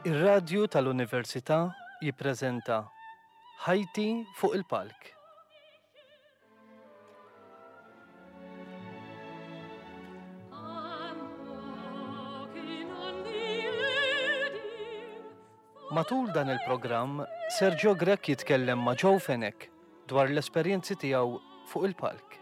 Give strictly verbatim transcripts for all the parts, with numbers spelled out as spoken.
Ir-radju tal-Università jippreżenta Ħajti fuq il-palk. Matul dan il-programm, Sergio Grech jitkellem ma' Joe Fenech dwar l-esperjenzi tiegħu fuq il-palk.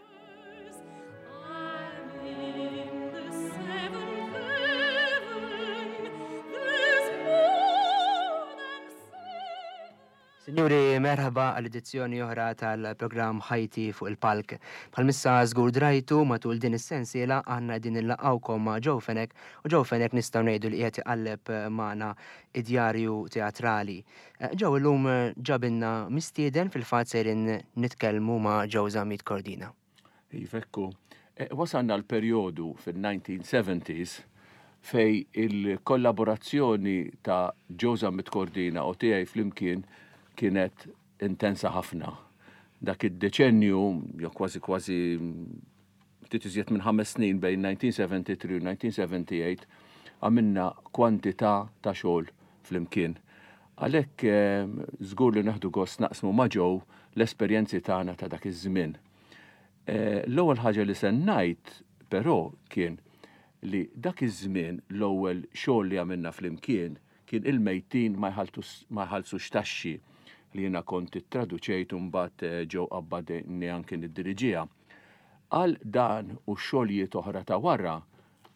Signori, merħba għal edizzjoni oħra tal-programm Ħajti fuq il-Palk. Bħalmissa żgur drajtu matul din is-sensiela aħna qegħdin nillaqgħukom ma' Joe Fenech u Joe Fenech nistgħu ngħidu li qiegħed iqalleb magħna id-djarju teatrali. Joe illum ġabilna mistieden fil-fatt sejrin nitkellmu ma' Joe Zammit Cordina. Iva, ekku. Wasalna l-perjodu fil-nineteen seventies fej il-kollaborazzjoni ta' Joe Zammit Cordina u tiegħi flimkien kienet intensa ħafna. Dak id-deċennju, jew kważi kważi ftit iżjed minn ħames snin bejn nineteen seventy-three u nineteen seventy-eight, għamilna kwantità ta' xogħol flimkien. Għalhekk, eh, żgur li naħdu gost naqsmu ma' Joe l-esperjenzi tagħna ta' dak iż-żmien. Eh, l-ewwel ħaġa li se ngħid però kien li dak iż-żmien l-ewwel xogħol li għamilna flimkien kien il-mejtin ma jħalltus, ma jħallsux taxxi li jiena kont ittraduċejt u mbagħad, eh, Joe qabbadni anke niddiriġiha. Għal dan u xogħlijiet oħra ta' wara,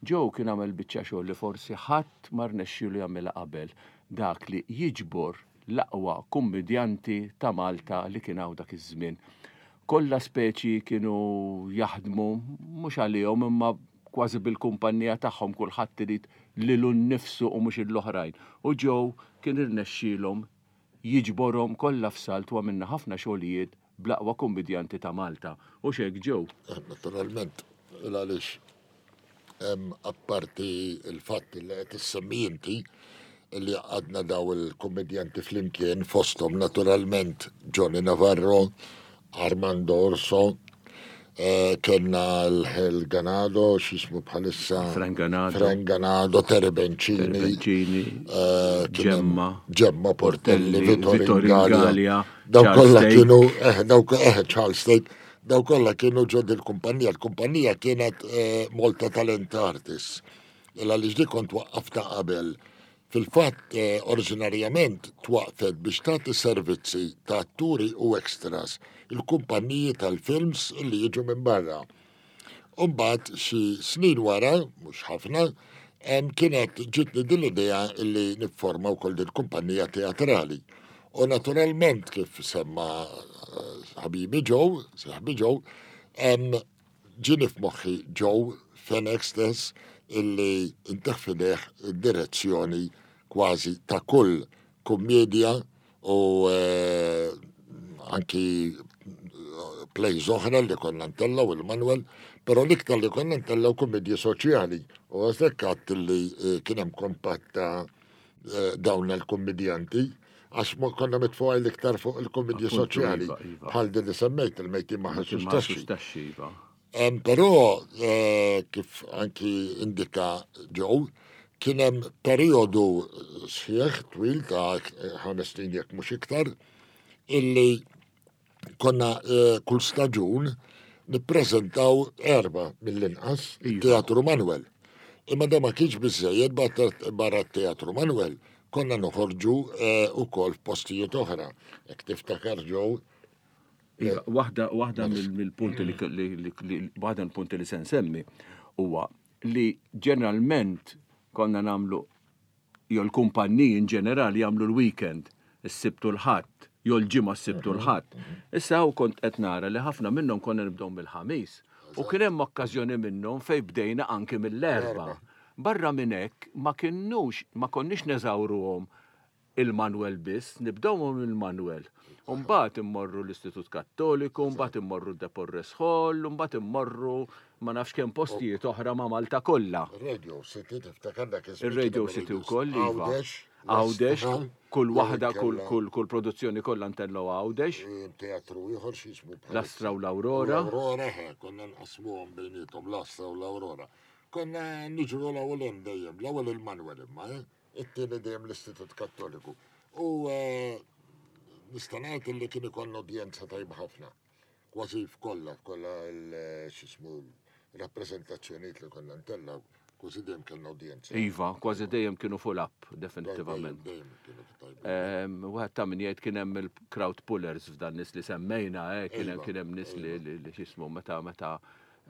Joe kien għamel biċċa xogħol li forsi ħadd ma rnexxielu jagħmilha qabel, dak li jiġbor l-aqwa kummedjanti ta' Malta li kien hawn dak iż-żmien. Kollha speċi kienu jaħdmu mhux għalihom imma kważi bil-kumpanija tagħhom, kulħadd irid lilu nnifsu u mhux l-oħrajn. U Joe kien irnexxielhom jiġborhom kollha f'salt u għamilna ħafna xogħlijiet bl-aqwa kummedjanti ta' Malta. U x'hekk Joe? Eh, naturalment, għaliex hemm apparti il-fatt li qed issemmi inti li għadna daw il-kummedjanti flimkien fosthom naturalment Johnny Navarro, Armando Orso, eh, kellna l-Ganado, x'ismu bħalissa? Frank Ganado. Frank Ganado, Terry Bencini, Terry Bencini, eh, kien hemm Gemma, Gemma Portelli, Portelli, Vittorio Vittorio Ingalia. Ingalia, Daw Charles kollha Tate. kienu, eh, daw ko-, eh, Charles Tate, daw kollha kienu ġo dil-kumpanija. Il-kumpanija kienet, eh, Malta Talent Artists. Illa li ġdi kont waqqafta qabel. Fil-fatt, eh, oriġinarjament twaqfet biex tagħti servizzi ta' atturi u extras il-kumpanniji tal-films li jiġu minn barra. U mbagħad xi snin wara, mhux ħafna, em, kienet ġitni din l-idea li nifforma wkoll din kumpanija teatrali. U naturalment kif semma, eh, ħabibi Joe, saħbi Joe, em, ġieni f'moħħi Joe Fenech stess illi inteħ fideh id-direzzjoni kważi ta' kull kummedja u, eh, anki plays oħra li konna ntellaw il-Manuel, però l-iktar li konna ntellaw kummedji soċjali. U għażlek għadt li, eh, kien hemm kompatt ta', eh, dawn il-kummedjanti, għax ma konna mitfuqaj l-iktar fuq il-kummedji Appuntu, soċjali. iva, iva. Bħal din li semmejt, il-mejtin ma Mejtin ħassux ma taxxi. ħassux taxxi, iva. Em, però, eh, kif anki indika Joe, kien hemm perjodu sħiħ twil ta' ħames snin jekk mhux iktar, illi konna, eh, kull staġun nippreżentaw erba' mill-inqas Iva. Teatru Manuel. Imma da ma kienx biżżejjed barra, barra Teatru Manuel, konna noħorġu, eh, ukoll f'postijiet oħra. Jekk tiftakar Joe. Iva, waħda, waħda mill-, mill-punti li, li, li, li, waħda mill-punti li se nsemmi huwa li ġeneralment konna nagħmlu jew l-kumpanniji in ġenerali jagħmlu l-weekend, is-Sibt u l-Ħadd, jew l-ġimgħa s-Sibt u l-Ħadd. Issa hawn kont qed nara li ħafna minnhom konna nibdew mill-Ħamis u kien hemm okkażjoni minnhom fejn bdejna anke mill-Erbgħa. Barra minn hekk ma kinnux, ma konniex neżawruhom il-Manuel biss, nibdewhom il-Manuel. U mbagħad immorru l-Istitut Kattoliku, mbagħad immorru De Porres Hall, mbagħad immorru ma nafx kemm postijiet oħra ma' Malta kollha. Radio City, tiftakar dak iż-żmien Ir-Radio kien hemm City Radio wkoll, iva. Għawdex, Għawdex, West Ham, kull jew waħda, kull, inkella kull, kull produzzjoni kollha ntellgħu Għawdex. Kien teatru ieħor x'jismu bħal L-Astra u l-Aurora. L-Aurora, eh, konna nqasmuhom bejniethom l-Astra u l-Aurora. Konna niġru l-ewwel hemm dejjem, l-ewwel il-Manuel imma, eh? It-tieni dejjem l-Istitut Kattoliku. U eh, nista' ngħid li kien ikollna udjenza tajba ħafna. Kważi f'kollha, f'kollha l-x'ismu rappreżentazzjonijiet li konna ntellgħu, kważi dejjem kellna udjenza. Iva, kważi dejjem kienu full up, definitivament. Dejjem kienu tajba. Ehm, Wieħed ta' min jgħid kien hemm il-crowd pullers f'dan nies li semmejna, eh, kien hemm Iva, kien hemm nies li li li x'ismu meta meta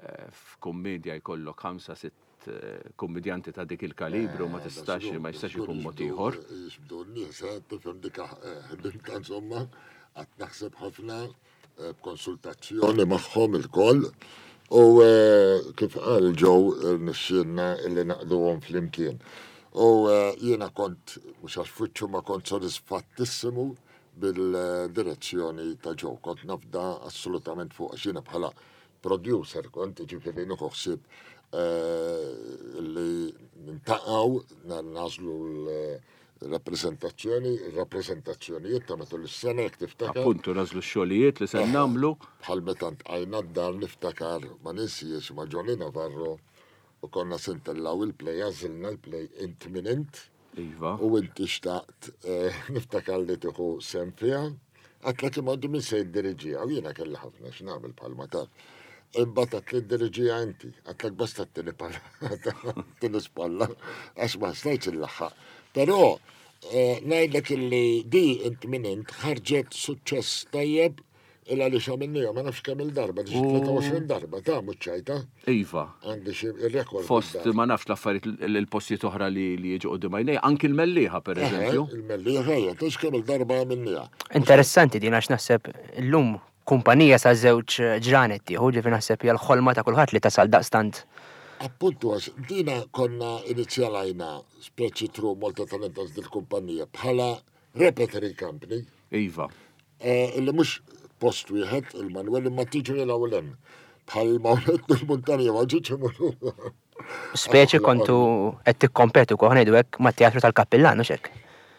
eh, f'kummedja jkollok ħamsa sitt eh, kummedjanti ta' dik il-kalibru ma Eh, tistax ma jistax ikun mod ieħor. Jixbdu n-nies, eh, tifhem dik ħdimta insomma, għad naħseb ħafna eh, b'konsultazzjoni magħhom il-koll. U eh, kif qal Joe nixxielna illi naqduhom flimkien. U eh, jiena kont, mhux għax fuċċu ma kont sodisfattissimu bil-direzzjoni ta' Joe. Kont nafda assolutament fuq għax jiena bħala producer kont ġifieri nieħu ħsieb eh, li nintaqgħu nagħżlu l-rappreżentazzjoni, il-rappreżentazzjonijiet ta' matul is-sena jekk tiftakar. Appuntu nagħżlu x-xogħlijiet li se nagħmlu. Bħal meta ntqajna d-dar niftakar ma ninsiex ma' Johnny Navarro u konna se ntellgħu il-play, għażilna l-play Int Min Int Iva. u inti xtaqt eh, niftakar li tieħu sehem fiha. Għedtlek imma min se jiddiriġiha u jiena kelli ħafna x'nagħmel bħalma taf. Imbagħad għedt li ddiriġiha inti, għedtlek basta t-tini palla, t-tini spalla, għax ma stajtx inlaħħaq. Però eh, ngħidlek illi di Int Min Int ħarġet suċċess tajjeb illa li xamilnija, ma nafx kemm il-darba, di xi tlieta u għoxrin darba, ta' mhux ċajta, Iva. għandi xi il-rekord. Fost bid-dar. ma nafx l-affarijiet l- il-postijiet oħra li li jiġu quddiem għajnejja, anki l-Mellieħa per eżempju. Eh, Il-Mellieħa, hija, tix kemm il-darba għamilniha. Interessanti din għax naħseb illum kumpanija sa' żewġ ġranet tieħu, ġifieri naħseb hija l-ħolma ta' kulħadd li tasal daqstant. Appuntu għax dina konna inizjalajna speċi through Malta Talent Arts dil-kumpanija bħala repertory company Iva. eh, illi mhux post wieħed il-Manuel imma tiġri l-ewwel hemm. Bħal Mawlet il-Muntanja ma ġietx imorru. Speċi kontu qed tikkompetu kol ngħidu hekk mat-teatru tal-Kappillan, hux hekk?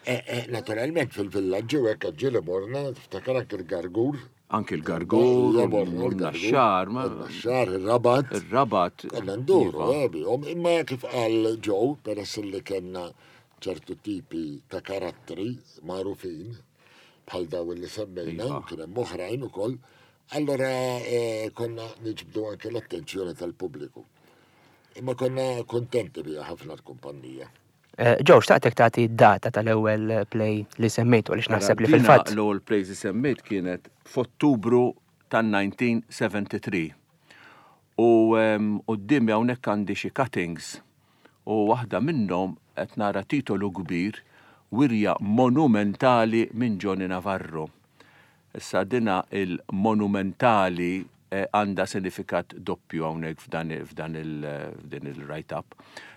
Eh, eh, Naturalment fil-villaġġi u hekk ġieli morna, tiftakar anke il-Gargur. Anki l-Gargur, Ja, morna l-Gargur, il-Naxxar, ma- Il-Naxxar, il-Rabat. il-Rabat. Konna nduru, Iva. eh, bihom, imma kif qal Joe, peress li kellna ċertu tipi ta' karattri magħrufin, bħal daw li semmejna, Iva. u kien hemm oħrajn ukoll, allora eh, konna niġbdu anke l-attenzjoni tal-pubbliku. Imma konna kontenti biha ħafna l-kumpanija. Eh, Joe, xtaqtek tagħti data tal-ewwel play li semmejtu għaliex naħseb li Dina fil-fatt. L-ewwel play li semmejt kienet f'Ottubru tan-elf disa' mija u sebgħa u sebgħin. U em, quddiemi hawnhekk għandi xi cuttings u waħda minnhom qed nara titolu kbir wirja monumentali minn Johnny Navarro. Issa dina il-monumentali eh, għandha sinifikat doppju hawnhekk f'dan f'dan il f'din il-write-up.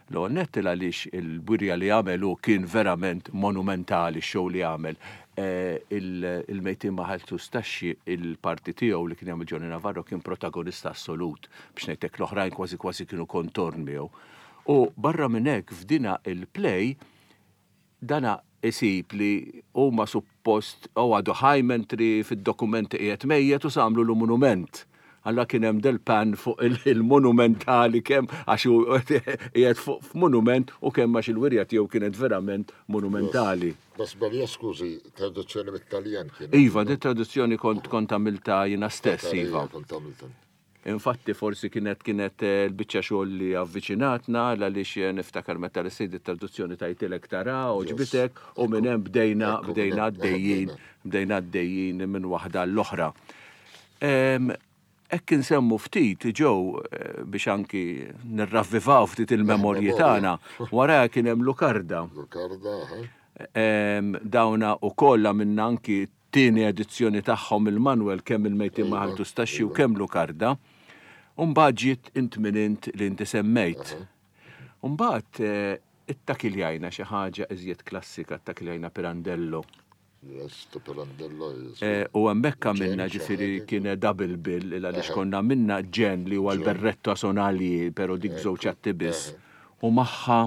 L-ewwel nett għaliex il-wirja li għamel hu kien verament monumentali x-show li għamel. Eh, il- Il-mejtin ma ħallsux taxxi il-parti tiegħu li kien jagħmel Johnny Navarro kien protagonista assolut biex ngħidlek l-oħrajn kważi kważi kienu kontorn miegħu. U barra minn hekk f'dina il-play dana isib li huma suppost u għadu ħaj mentri fid-dokumenti qiegħed mejjet u samlu l-monument. Alla kien hemm del-pan fuq il- il-monumentali kemm għax hu qiegħed fuq f'monument u kemm għax il-wirja tiegħu kienet verament monumentali. Bas balja skużi, traduzzjoni mit-Taljan kien. Iva, di traduzzjoni kont kont għamilta jiena stess, Iva. Kont għamilta. Infatti forsi kienet kienet eh, l-biċċa xogħol li avviċinatna għaliex eh, niftakar meta li sejdi traduzzjoni tajtilek tara u ġbitek u minn hemm bdejna Ekku, bdejna minn hemm għaddejjin bdejna għaddejjin minn waħda l-oħra. Em, Hekk insemmu ftit ġew eh, biex anki nirravvivaw ftit il-memorji Il-memorja. tagħna wara kien hemm Lukarda. Lukarda, ha? Em, Dawna u kollha minna anki tieni edizzjoni tagħhom il-Manuel kemm il-mejtin Iva, ma ħallsux taxxi u iva. kemm Lukarda. Umbagħad ġiet Int Min Int li inti semmejt. Umbagħad eh, ittakiljajna xi ħaġa iżjed klassika, ittakiljajna Pirandello. Yes, to Pirandello. yes. Eh, U hemmhekk għamilna Ġen, ġifieri xi ħaġa. kien double bill il għaliex Eħe. konna minna ġen li huwa l-berretto sonali però dik żewġ atti biss. U magħha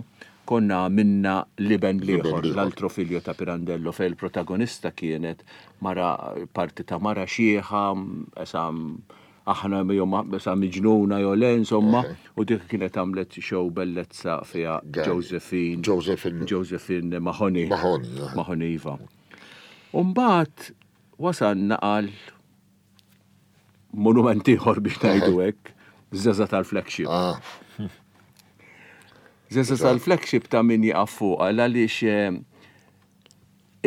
konna għamilna L-Iben l-Ieħor, l-Ieħor. L'altro figlio ta' Pirandello, fej il-protagonista kienet mara parti ta' mara xieħa, esam Aħna jew sa miġnuna jew le, insomma, u dik kienet għamlet show bellezza fiha Josephine. Josephine. Josephine Mahoney. Mahoney. Mahoney, iva. Umbagħad wasalna għal monument ieħor biex ngħidu hekk, Żeża tal-Flagship. Żeża tal-Flagship ta' min jaqaf fuqha għaliex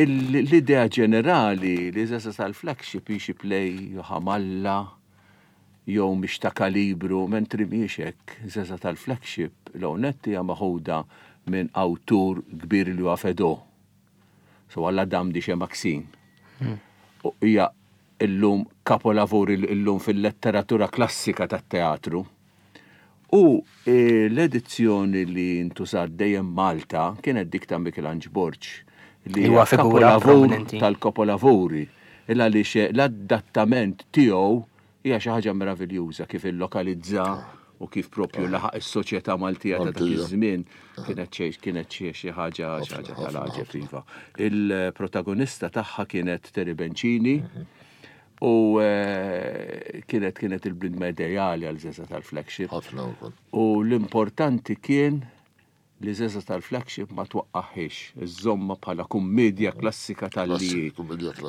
l-idea ġenerali li Żeża tal-Flagship hi xi play ħamalla jew mhix ta' kalibru, mentri mhijiex hekk. Żeża tal-Flagship l-għonet hija maħuda minn awtur kbir li huwa Fedot. So għalla dam di xe Maxine. U hija illum kapolavori illum fil-letteratura klassika tat-teatru. U l-edizzjoni li ntużat dejjem Malta kienet dik ta' Michelangelo Borg, li huwa figura kapolavur tal-kapolavori. Illa li l-adattament tiegħu hija xi ħaġa meraviljuża kif illokalizza u kif propju laħaq is-soċjetà Maltija ta' dak iż-żmien kienet xi kienet xi ħaġa xi ħaġa tal-għaġeb iva. Il-protagonista tagħha kienet Terry Bencini u kienet kienet il-bnedma ideali għal Żeża tal-Flagship. Ħafna wkoll. U l-importanti kien li Żeża tal-Flagship ma twaqqaħiex, iżżomma bħala kummedja klassika tal-li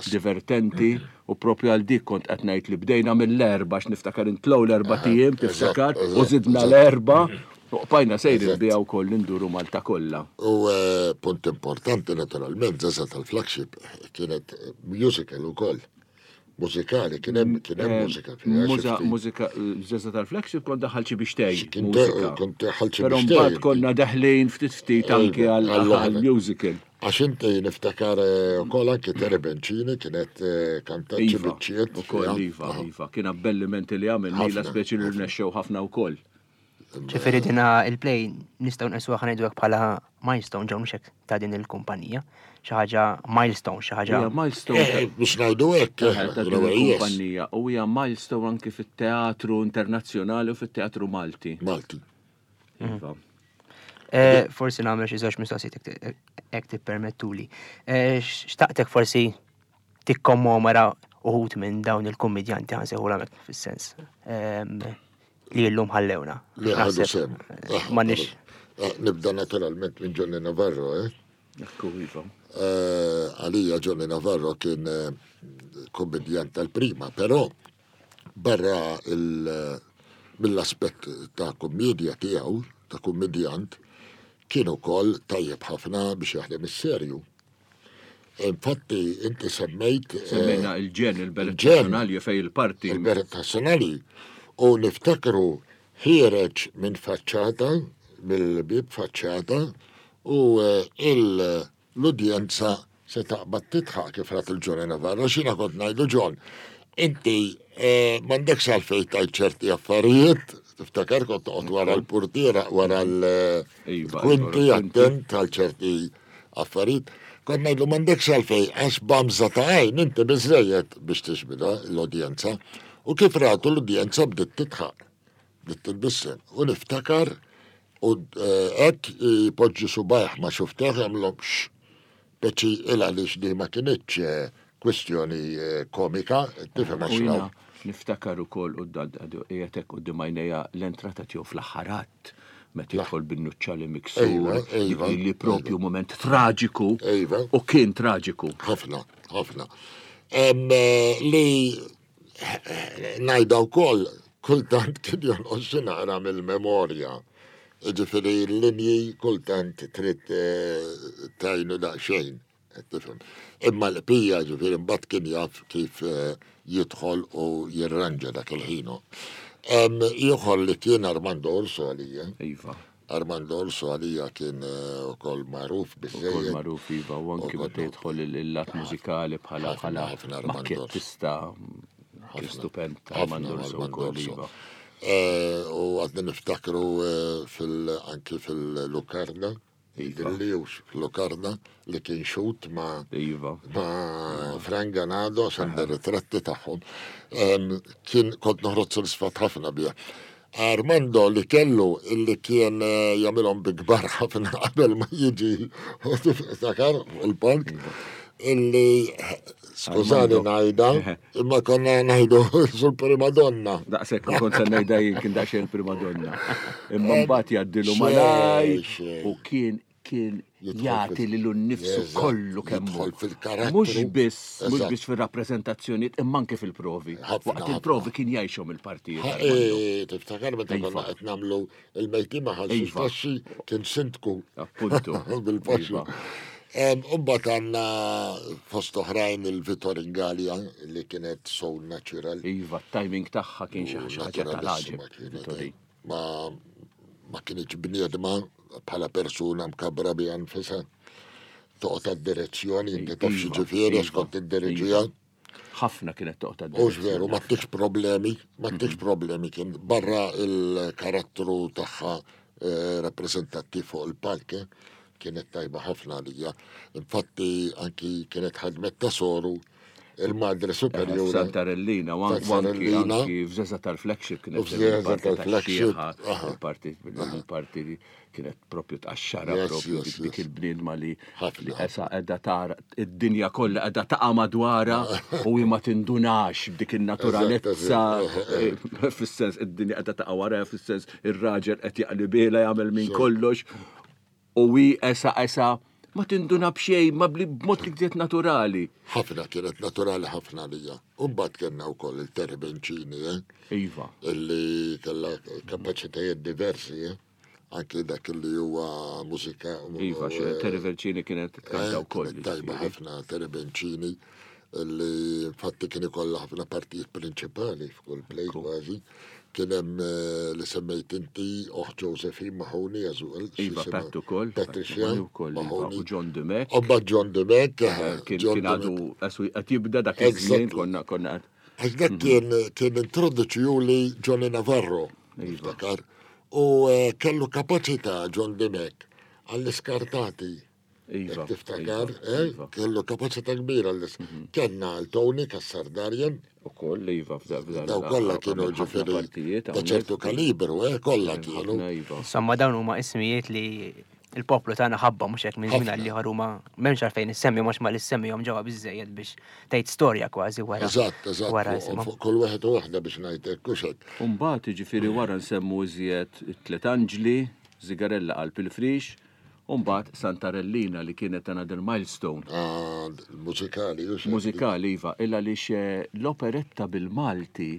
divertenti u propju għal dik kont qed ngħid li bdejna mill-erba' għax niftakar intlow l-erba' tiem, tiftakar, u żidna l-erba' u qbajna sejrin biha wkoll induru Malta kollha. U punt importanti naturalment, Żeża tal-Flagship kienet musical ukoll. Mużikali, kien hemm kien hemm mużika fiha. Mużika, Żeża tal-Flagship kont daħal xi biex tgħid. Kont daħal xi biex Però mbagħad konna daħlin ftit ftit anke għal musical. Għax inti niftakar ukoll anke Terry Bencini kienet kantat xi biċċiet. Ukoll iva, iva, kien abbellimenti li għamel lila speċi li rnexxew ħafna wkoll. Ġifieri dina il-play nistgħu nqisuha ħa ngħidu hekk bħala milestone ġew mhux hekk ta' din il-kumpanija. Xi ħaġa milestone, xi ħaġa. Hija milestone. Biex ngħidu hekk ta' din il-kumpanija u hija milestone anke fit-teatru internazzjonali u fit-teatru Malti. Malti. Iva. Forsi nagħmel xi żewġ mistoqsijiet hekk tippermettuli. Xtaqtek forsi tikkommemora uħud minn dawn il-kummedjanti ħa nsejħulhom hekk fis-sens li llum ħallewna. Li ħadu sehem. M'għandniex. Nibda naturalment minn Johnny Navarro, eh? Ekku, iva. Għalija Johnny Navarro kien kommedjant tal-prima, però barra mill-aspett ta' kommedja tiegħu, ta' kommedjant, kien ukoll tajjeb ħafna biex jaħdem is-serju. Infatti, inti semmejt... Semmejna il-ġen, il-beret nazzjonali fej il-parti. Il-beret nazzjonali. U niftakru ħiereġ minn faċċata, mill-bib faċċata, u l-udjenza se taqbad titħaq kif rat il-Johnny Navarro. Xina kont ngħidu John, inti m'għandekx għalfejn tgħid ċerti affarijiet, tiftakar kont toqgħod wara l-portiera, wara l-kwinti attent għal ċerti affarijiet. Kont ngħidlu m'għandekx għalfejn għax bamża ta' għajn inti biżżejjed biex tixbidha l-udjenza. U kif ratu l-udjenza bdiet titħaq, bdiet titbissem. U niftakar u hekk jpoġġi subajh ma xufteħ jagħmlhom x peċi il għaliex di ma kinitx kwistjoni komika, tifhem għax raw. Niftakar ukoll u qiegħed hekk quddiem għajnejja l-entrata tiegħu fl-aħħar att meta jidħol bin-nuċċali miksur, li propju moment traġiku u kien traġiku. Ħafna, ħafna. Li ngħidha wkoll kultant kien jonqos xi naqra mill-memorja. Ġifieri l-linji kultant trid tgħinu daqsxejn, tifhem. Imma l-qbija ġifieri mbagħad kien jaf kif jidħol u jirranġa dak il-ħin. Ieħor li kien Armando Orso għalija. Iva. Armando Orso għalija kien ukoll magħruf biżżejjed. Ukoll magħruf iva, u anki meta jidħol il-lat mużikali bħala bħala makkettista stupend Armando Orso wkoll iva. U għadna niftakru anki fil-Lukarna, Dillius fil-Lukarna li kien xut ma' ma' Frank Ganado għand ritratti tagħhom. Kien kont noħroġ sodisfatt ħafna biha. Armando li kellu illi kien jagħmilhom bi kbar ħafna qabel ma jiġi tiftakar il-palk. Illi, skużani ngħidha, imma konna ngħidu sul primadonna. Daqshekk kont se ngħidha jien, kien daqsxejn primadonna. Imma mbagħad jgħaddilu malaj u kien kien jagħti lilu nnifsu kollu kemm hu. Fil-karattru. Mhux biss, mhux biss fir-rappreżentazzjonijiet, imma anke fil-provi. Waqt il-provi kien jgħixhom il-partijiet. Tiftakar meta konna qed nagħmlu il-mejtin ma ħallsux taxxi, kien sindku. Appuntu. Bil-paxxi. Imbagħad għandna fost oħrajn il-Vittorin Gallia li kienet so natural. Iva, timing tagħha kien xi ħaġa tal-għaġeb. Ma ma kienx bniedma bħala persuna mkabra biha nfisha. Toqgħod għad-direzzjoni, inti taf x'ġifieri għax kont iddiriġiha. Ħafna kienet toqgħod għad-direzzjoni. Hux veru, ma ttikx problemi, ma ttikx problemi kien barra il-karattru tagħha rappreżentattiv fuq il-palk, kienet tajba ħafna għalija. Infatti anki kienet ħadmet ta' soru il-Madre Superiora. Santarellina, u anki f'Żeża tal-Flagship kienet. F'Żeża tal-Flagship. Il-parti, il-parti kienet propju tqaxxara propju dik il-bniedma li esa qiegħda tara id-dinja kollha qiegħda taqa' madwarha u hi ma tindunax b'dik in-naturalezza, fis-sens id-dinja qiegħda taqa' wara, fis-sens ir-raġel qed jaqlibilha jagħmel minn kollox u hi esa esa ma tinduna b'xejn, ma b'mod li kienet naturali. Ħafna kienet naturali ħafna għalija. U mbagħad kellna wkoll il-Terry Bencini, eh? Iva. Illi kellha kapaċitajiet diversi, eh? Anki dak li huwa mużika. Iva, Terry Bencini kienet tkanta wkoll. Tajba ħafna Terry Bencini, illi infatti kien ikollha ħafna partijiet prinċipali f'kull play kważi. Kien hemm li semmejt inti oħ Josephine Mahoney as well. Iva, Pat ukoll. Patricia Mahoney. U John Dimech. U mbagħad John Dimech. Kien għadu qed jibda dak iż-żmien konna konna. Għax dak kien kien introduċjuli Johnny Navarro. Niftakar. U kellu kapaċità John Dimech għall-iskartati. Iva, Tiftakar, kellu kapaċità kbira għall Kellna l-Tony Cassar-Darien. U koll, iva, f'da. Daw kollha kienu ġifieri ta' ċertu kalibru, eh, kollha kienu. Insomma, dawn huma ismijiet li il-poplu tagħna ħabba mhux hekk minn żmien għal ieħor huma m'hemmx għalfejn issemmihom għax ma li ssemmihom ġewwa biżżejjed biex tgħid storja kważi wara. Eżatt, eżatt. Fuq kull wieħed u waħda biex ngħid hekk hux hekk. U mbagħad jiġifieri wara nsemmu iżjed it-Tliet Anġli, Zigarella qalb il-frix, u mbagħad Santarellina li kienet another milestone. Ah, mużikali, hux hekk? Mużikali, iva, illa għaliex l-operetta bil-Malti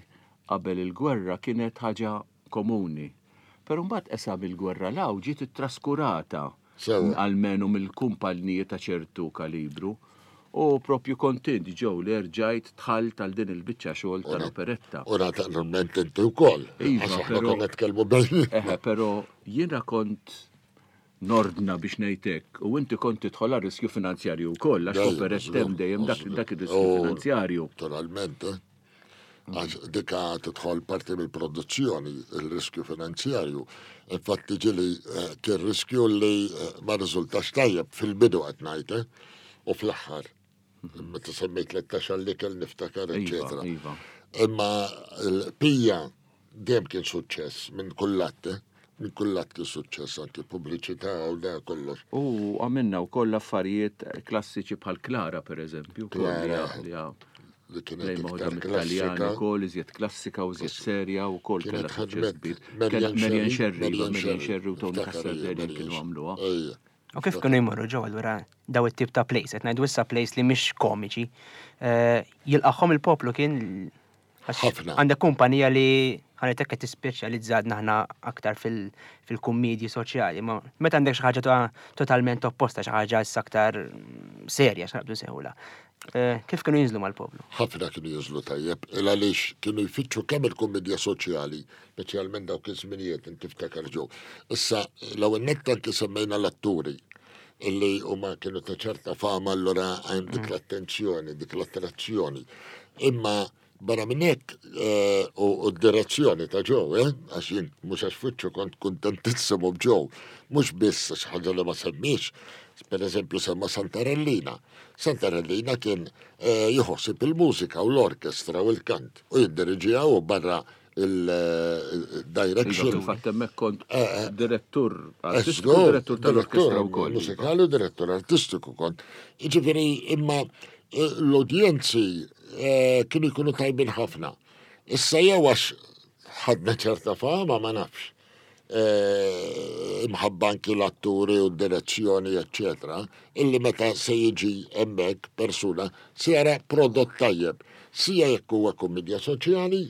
qabel il-gwerra kienet ħaġa komuni. Però mbagħad esa bil-gwerra law ġiet ittraskurata almenu mill-kumpaniji ta' ċertu kalibru. U propju kontent ġew li rġajt dħalt għal din il-biċċa xogħol tal-operetta. U naturalment inti wkoll. Iva, Għax aħna però konna nitkellmu bejn. Eħe, però jiena kont nordna biex ngħidlek, u inti kont tidħol għal riskju finanzjarju wkoll, għax Dejjem, operetta hemm dejjem dak, dak ir-riskju U finanzjarju. Naturalment, eh? Għax dika tidħol parti mill-produzzjoni, il-riskju finanzjarju. Infatti ġieli kien riskju li ma riżultax tajjeb fil-bidu qed ngħid, eh? U fl-aħħar. Meta semmejt tlettax għall-ikel niftakar, Iva, eċetera. iva. Imma l-pija dejjem kien suċċess minn kull att, eh? Minn kull att kien suċċess, anki pubbliċità u da kollox. U għamilna wkoll affarijiet klassiċi bħal Klara, per eżempju, wkoll li Klara. li ha- Li kienet lejn maħuda iktar mit-Taljani klassika. wkoll, iżjed klassika u iżjed serja u wkoll Kienet kellha suċċess ħadmet kbir. Marian Kellha Marian Scerri, Scerri, iva, Marian Marian Scerri. Scerri u Tony Niftakar hija, Cassar-Darian Marian kienu Scerri. għamluha. Ejja. U kif kienu jmorru ġew allura daw it-tip ta' plays, qed ngħidu issa plays li mhix komiċi, eh, jilqagħhom il-poplu kien għax Ħafna. Għandek kumpanija li ħanetek qed tispeċjalizzatna aħna aktar fil-, fil-kummedji soċjali, ma meta għandek xi ħaġa to-, totalment opposta, xi ħaġa issa aktar serja, x'naqbdu sejħula. Eh, kif kienu jinżlu mal-poplu? Ħafna kienu jinżlu tajjeb, il għaliex kienu jfittxu kemm il-kummedja soċjali, speċjalment dawk iż-żminijiet inti tiftakar ġew. Issa l-ewwel nett anki semmejna l-atturi illi huma kienu ta' ċerta fama, allura hemm dik l-attenzjoni, dik l-attrazzjoni. Imma barra minn hekk, eh, u, u d-direzzjoni ta' ġew, eh, għax jien mhux għax fuċċu kont kuntentissimu b'ġew, mhux biss għax ħaġa li ma semmix, per eżempju semma Santarellina. Santarellina kien, eh, jħossib il-mużika u l-orkestra u l-kant u jiddiriġiha u barra il-direction. Fil-fatt hemmhekk kont Eh, eh. direttur artistiku, Żgur, direttur tal-orkestra wkoll. Mużikali u direttur artistiku kont. Jiġifieri imma eh, l-udjenzi eh, kienu jkunu tajbin ħafna. Issa jew għax ħadna ċerta fama ma nafx. Eh, Imħabba anki l-atturi u d-direzzjoni, eccetera, illi meta se jiġi hemmhekk persuna se jara prodott tajjeb, sija jekk huwa komedja soċjali,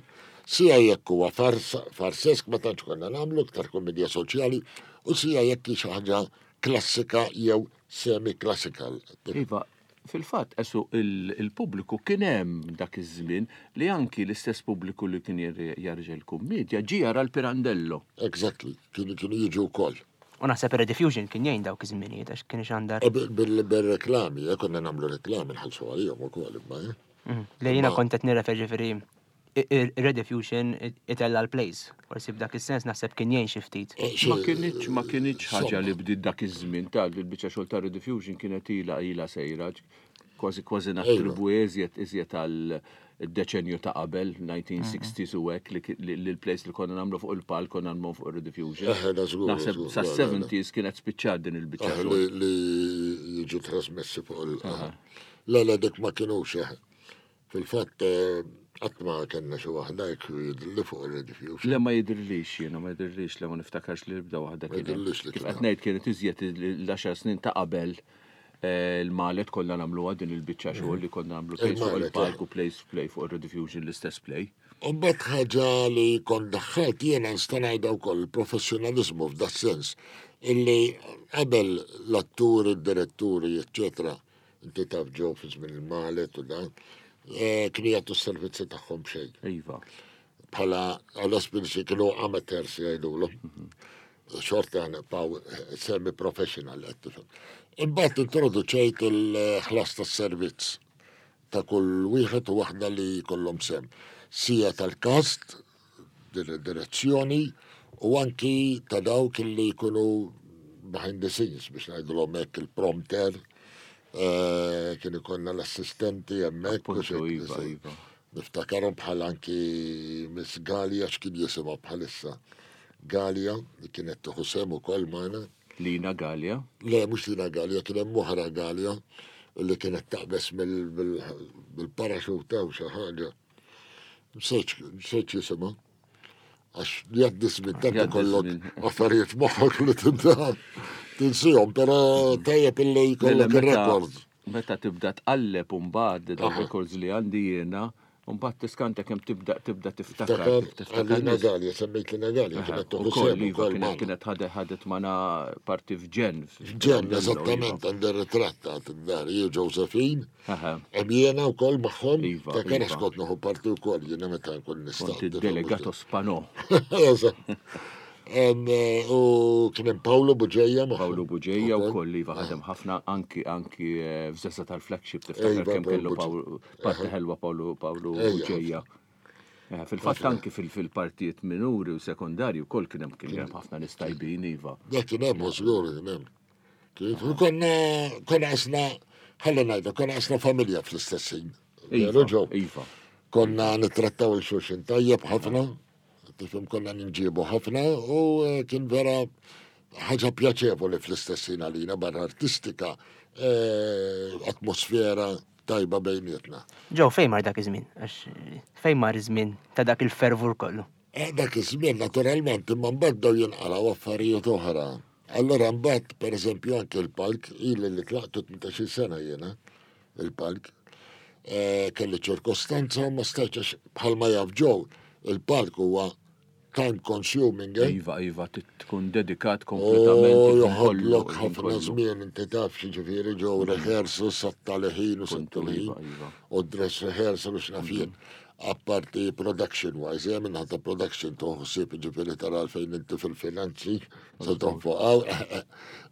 sija jekk huwa fars- farsesk ma tantx konna nagħmlu iktar komedja soċjali, u sija jekk hi xi ħaġa klassika jew semi-classical. Iva, fil-fatt esu il- il-pubbliku kien hemm dak iż-żmien li anki l-istess pubbliku li kien jarġa l-kummedja ġie jara l-Pirandello. Exactly, kienu kienu jiġu wkoll. U naħseb Rediffusion kien jgħin dawk iż-żminijiet għax kien ixandar. E bil- bil- Bil-reklami, eh, konna nagħmlu reklami nħallsu għalihom ukoll imma. eh. Mhm. Li jiena Ma- kont qed nirreferi ġifieri Rediffusion itella l-plays. Forsi b'dak is-sens naħseb kien jgħin xi ftit. Eh, xi- Ma kienitx ma kienitx ħaġa li Insomma. bdiet dak iż-żmien tal il-biċċa xogħol ta' Rediffusion kienet ilha ilha sejra kważi kważi nattribwu iżjed iżjed għal id-deċenju ta' qabel, nineteen sixties u hekk li li li l-plays li konna nagħmlu fuq il-palk konna nagħmlu fuq ir-Rediffusion. Eh, da żgur, Naħseb żgur, sa le, le, le. seventies kienet spiċċat din il-biċċa Ah, xogħol. li, li jiġu trasmessi fuq il. Le, le, dik ma kienux. eh. Fil-fatt, eh, qatt ma kellna xi waħda jekk jidhirli fuq il-Rediffusion. Le, ma jidhirlix jiena, ma jidhirlix, le, ma niftakarx li bda waħda Ma kien hemm. jidhirlix li Kif kien qed hemm. ngħid, kienet iżjed l-għaxar snin ta' qabel eh, il-Malet konna nagħmluha din il-biċċa xogħol li konna nagħmlu plays fuq Il-Malet, il-palk eh. u plays play fuq ir-Rediffusion, l-istess play. U mbagħad ħaġa li kont daħħalt jiena nista' ngħidha wkoll, il-professjonalizmu f'da sens illi qabel l-atturi, d-diretturi, eccetera, inti taf ġew fi żmien il-Malet u dan, eh, kienu jagħtu s-servizzi tagħhom xejn. Iva. Bħala għal-esperienzi kienu amateurs jgħidulhom. Xorta nibqgħu semi-professional qed tifhem. Imbagħad introduċejt il-ħlas tas-servizz ta' kull wieħed u waħda li jkollhom sem. Sija tal-cast, dir- direzzjoni u anki ta' dawk li jkunu behind the scenes biex ngħidulhom hekk, il-prompter, eh, kien ikollna l-assistenti hemmhekk. u Appuntu, xejn- iva, iva. Niftakarhom bħal anki Miss Gallia, x'kien jisimha bħalissa. Gallia, li kienet tieħu sem ukoll magħna. Lina Gallia. Le, mhux Lina Gallia, kien hemm oħra Gallia li kienet taqbes mill- bil- bil-paraxuta u xi ħaġa. Nsejt jisimha. Għax jgħaddi żmien tant Jgħaddi ikollok żmien. affarijiet moħħok li tibda tinsihom, però tajjeb illi jkollok Meta- ir-rekord. Meta tibda tqalleb mbagħad dawn Aha. records li għandi jiena, mbagħad tiskanta kemm tibda tibda tiftakar. Ftakar tiftakar Għalina nies. Gallia, semmejt Lina Gallia, kienet tieħu Ukoll, sem iva, ukoll kienet magħna. kienet ħadet ħadet magħna parti f'ġen. Ġen, eżattament, għandi ritratta għad-dar, jien Josephine, Aha. hemm jiena wkoll magħhom, Iva, ta' kien iva. kont nieħu parti wkoll jiena meta nkun nista'. Kont id-delegato Spanò. Eżatt. Em, eh, U kien hemm Paolo Buġeja magħhom. Paolo Buġeja Ukoll. wkoll, iva, ħadem ħafna anki anki eh, f'Żessa tal-Flagship tiftakar Iva, kemm Paolo kellu Buġeja. Paolo parti ħelwa Paolo Paolo Ejja. Buġeja. Eh, Fil-fatt anki fil- fil-partijiet minuri u sekondarji wkoll kien hemm kien hemm ħafna nies tajbin, iva. Dak kien hemm, żgur kien hemm. Kif konna konna qisna, ħalli ngħidu, konna qisna familja fl-istess ħin. Iva, Veru, Joe? iva. Konna nittrattaw il-xulxin tajjeb ħafna, tifhem, konna ninġibu ħafna u eh, kien vera ħaġa pjaċevoli fl-istess ħin għalina barra artistika, eh, atmosfera tajba bejnietna. Joe, fejn mar dak iż-żmien? Għax fejn mar iż-żmien ta' dak il-fervur kollu? Eh, dak iż-żmien naturalment, imma mbagħad bdew jinqalgħu affarijiet oħra. Allora mbagħad pereżempju anke l-palk, ili li tlaqtu tmintax-il sena jiena il-palk. Eh, kelli ċirkostanza u ma stajtx għax bħalma jaf Joe, il-palk huwa time consuming, eh? Iva, iva, tit- tkun dedikat U kompletament. Il-ħin joħodlok kollu, il-ħin ħafna kollu. żmien, inti taf xi ġew rehearsal satta ħin u Kontu, satta ħin iva, iva. u dress rehearsal u x'naf jien. Apparti production wise, jien minn ta' production toħsib ġifieri tara fejn inti fil-finanzi, se tonfoq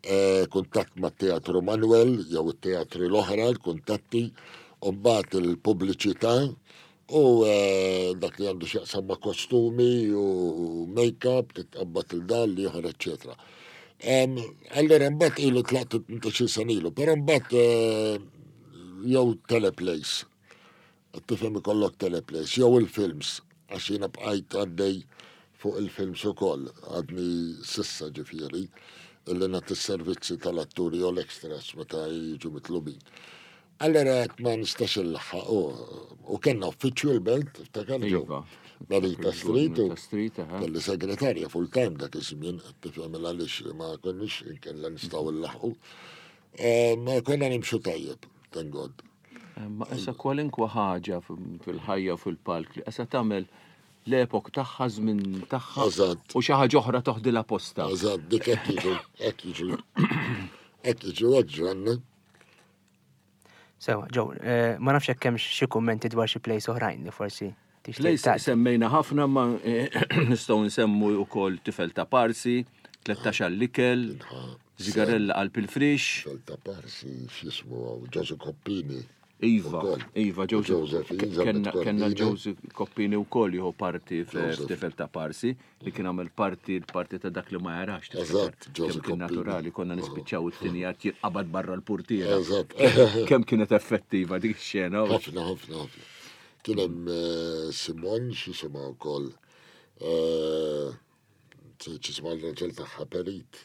eh, kuntatt ma' Teatru Manuel jew it-teatri l-oħra, l-kuntatti, u mbagħad il-pubbliċità u eh, dak li għandu x'jaqsam ma' kostumi u make-up, titqabbad il-dal li oħra, eccetera. Em, Allora mbagħad ilu tlaqtu tmintax-il sena ilu, però mbagħad eh, jew teleplays. Tifhem, ikollok teleplays, jew il-films. Għax jiena bqajt għaddej fuq il-films ukoll, għadni s'issa ġifieri, illi nagħti s-servizzi tal-atturi u l-extras meta jiġu mitlubin. Allora għedt ma nistax inlaħħaq u u kellna uffiċċju l-Belt, tiftakar Joe? Iva. Narita Street u Narita Street, aha. kelli segretarja full time dak iż-żmien, qed tifhem għaliex ma konniex inkella nistgħu nlaħħqu. Eh, Ma konna nimxu tajjeb, thank God. Ma issa kwalinkwa ħaġa fil-ħajja u fil-palk li issa tagħmel l-epok tagħha, żmien tagħha Eżatt. u xi ħaġa oħra toħdilha posta. Eżatt, dik hekk jiġu, hekk jiġu. Hekk jiġu, hekk ġranna. Sewa, Joe, eh, ma nafx hekk hemm xi kummenti dwar xi plays oħrajn li forsi tixtieq Plays tgħaddi. semmejna ħafna, ma eh, nistgħu nsemmu wkoll Tifel ta' Parsi, tlettax għall-ikel, Zigarella qalb il-frix. Tifel ta' Parsi, x'jismu għaw, Joseph Coppini. Iva, Ukoll. Iva, Joseph, Joseph, ke- kenna kenna Cordina. Joseph Coppini u koll jieħu parti Joseph. f'Tifel ta' Parsi, li kien għamel parti l-parti ta' dak li ma jarax. Tiftakar. Eżatt, Kemm Joseph kien Coppini. naturali, konna nispiċċaw it-tieni att jinqabad barra l-portiera. Eżatt. Kemm kienet effettiva dik ix-xena. Ħafna, ħafna, ħafna. Kien hemm eh, Simon, x'jisimha wkoll. Eh, X'jisimha l-raġel tagħha Perit.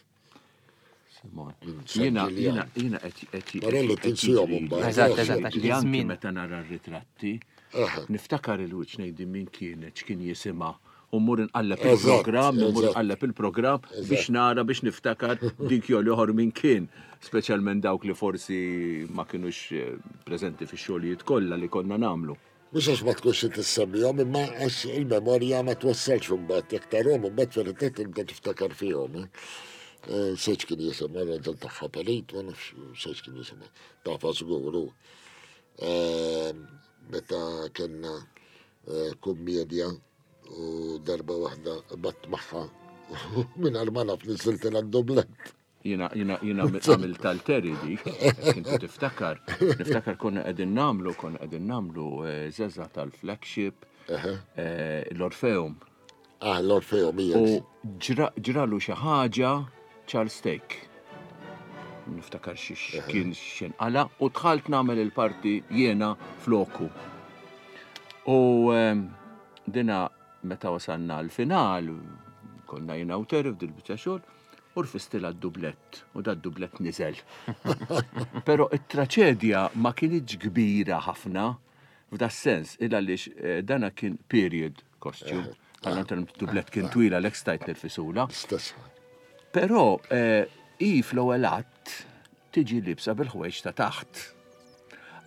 Simon. Minn San Jiena, Ġiljan. jiena, jiena qed qed Marelli qed tinsihom jiġri. imbagħad. Eżatt, eżatt, għax Li anki iż-żmien. meta nara r-ritratti, Aha. niftakar il-wiċċ, ngħidi min kienet, x'kien jisimha. U mmur nqalleb Eżatt, il-programm, mmur eżatt. nqalleb il-programm biex nara, biex niftakar dik jew l-oħor min kien. Speċjalment dawk li forsi ma kinux eh, preżenti fix-xogħlijiet kollha li konna nagħmlu. Mhux għax ma tkunx tissemmihom, imma għax il-memorja ma twassalx imbagħad jekk tarhom imbagħad fil-ritratt tibda tiftakar fihom. eh. Eh, Seċ kien jisimha raġel tagħha Perit, ma nafx seċ kien jisimha. Tafa żgur hu. Eh, Meta kellna eh, kummedja u darba waħda bat magħha minn ma naf niżiltilha d-dublett. Jiena, jiena, jiena għamil tal-Terry dik, kintu tiftakar, niftakar konna qegħdin nagħmlu, konna qegħdin nagħmlu eh, Zeza tal-Flagship, eh, l-Orfeum. Ah, l-Orfeum hija. U ġra- ġralu xi ħaġa Charles Stake. Niftakar xi kien x'inqala u dħalt nagħmel il-parti jiena floku. U ehm, dina meta wasalna l-final, konna jiena u Terry f'dil biċċa xogħol, u rfistilha d-dublett, u da d-dublett niżel. Però it-traċedja ma kienx kbira ħafna f'da sens, il għaliex eh, dana kien period costume. Għal dublett kien twila l stajt nirfisula. Stess. Però eh, i fl-ewwel att tiġi libsa bil-ħwejġ ta' taħt.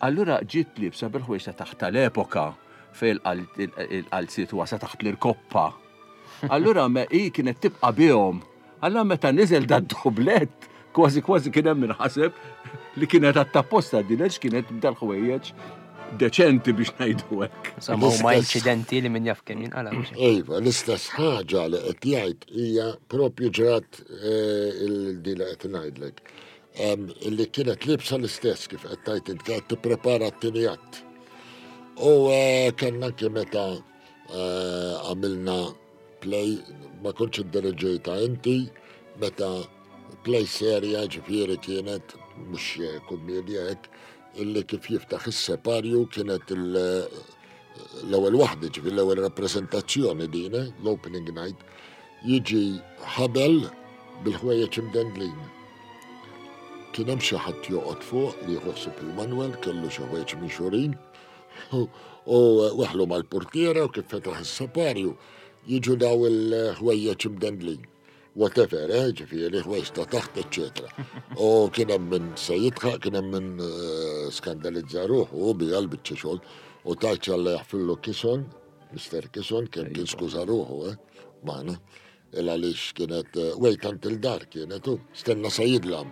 Allura ġiet libsa bil-ħwejġ ta' taħt tal-epoka fej il-qalziet wasa taħt l-irkoppa. Allura me i kienet tibqa' bihom. Allura meta niżel da dublett, kważi kważi kien hemm minħaseb li kienet għattapposta din għax kienet b'dal-ħwejjeġ deċenti biex ngħidu hekk. Insomma, huma L-istess. inċidenti li min jaf kemm jinqala. mhux hekk? Iva, l-istess ħaġa li qed jgħid hija propju ġrat eh, il-di li qed ngħidlek. Em, Illi kienet libsa l-istess kif qed tgħid int, kienet tipprepara t-tieni att. U eh, kellna anke meta eh, għamilna play, ma kontx iddirigejtha inti, meta play serja ġifieri kienet, mhux eh, kummedja hekk, illi kif jiftaħ is-separju kienet il- l-ewwel waħda, ġifieri l-ewwel rappreżentazzjoni din, eh, l-opening night, jiġi ħabel bil-ħwejjeġ imdendlin. Kien hemm xi ħadd joqgħod fuq li jħossib il-Manuel, kellu xi ħwejjeġ minxurin, u weħlu mal-portiera u kif fetaħ is-separju jiġu daw il-ħwejjeġ imdendlin. Whatever, eh, ġifieri ħwejjeġ ta' taħt, eċetera. U kien hemm min se jidħaq, kien hemm min eh, skandalizza ruħu u bija l-biċċa xogħol u tajċ Alla jaħfirlu Kison, Mister Kison, kien kien skuża ruħu, eh, magħna. Il għaliex kienet eh, wait until dark kienet u stenna sa jidlam.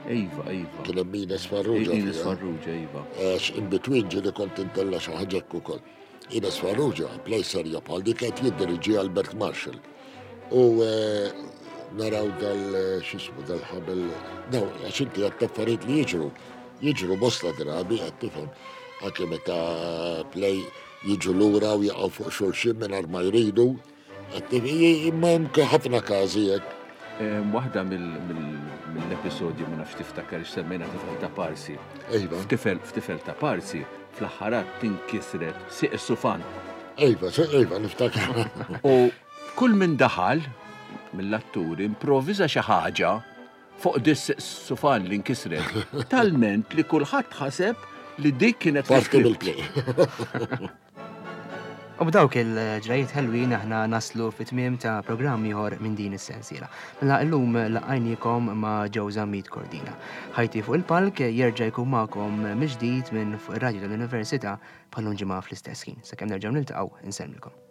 Iva, iva. Kien hemm Ines Farrugia. Ines fiha. Farrugia, iva. Għax in between ġieli kont intella xi ħaġa hekk ukoll. Ines Farrugia, play serja bħal dik qed jiddiriġi Albert Marshall. U eh, naraw dal eh, x'ismu dal-ħabel, daw għax inti għat affarijiet li jiġru. Jiġru bosta drabi qed tifhem. Anke meta play jiġu lura u jaqgħu fuq xulxin mingħajr ma jridu. Qed tifhem, imma hemm ħafna każi hekk. Em, Waħda mill- mill- mill-episodji, ma nafx tiftakar semmejna Tifel ta' Parsi. Iva. F'tifel f'Tifel ta' Parsi, fl-aħħar att tinkisret sieq is-sufan. Iva, iva, niftakar. U kull min daħal mill-atturi improvviża xi ħaġa fuq dis-sufan li nkisret. Talment li kulħadd ħaseb li dik kienet Parti mill-play. U b'dawk il-ġrajiet ħelwin aħna naslu fit-tmiem ta' programm ieħor minn din is-sensiela. Mela llum laqajniekom ma' Joe Zammit Cordina. Ħajti fuq il-palk jerġa' jkun magħkom mill-ġdid minn fuq ir-radju tal-Università bħal ġimgħa fl-istess ħin. Sakemm nerġgħu niltaqgħu, insellmilkom.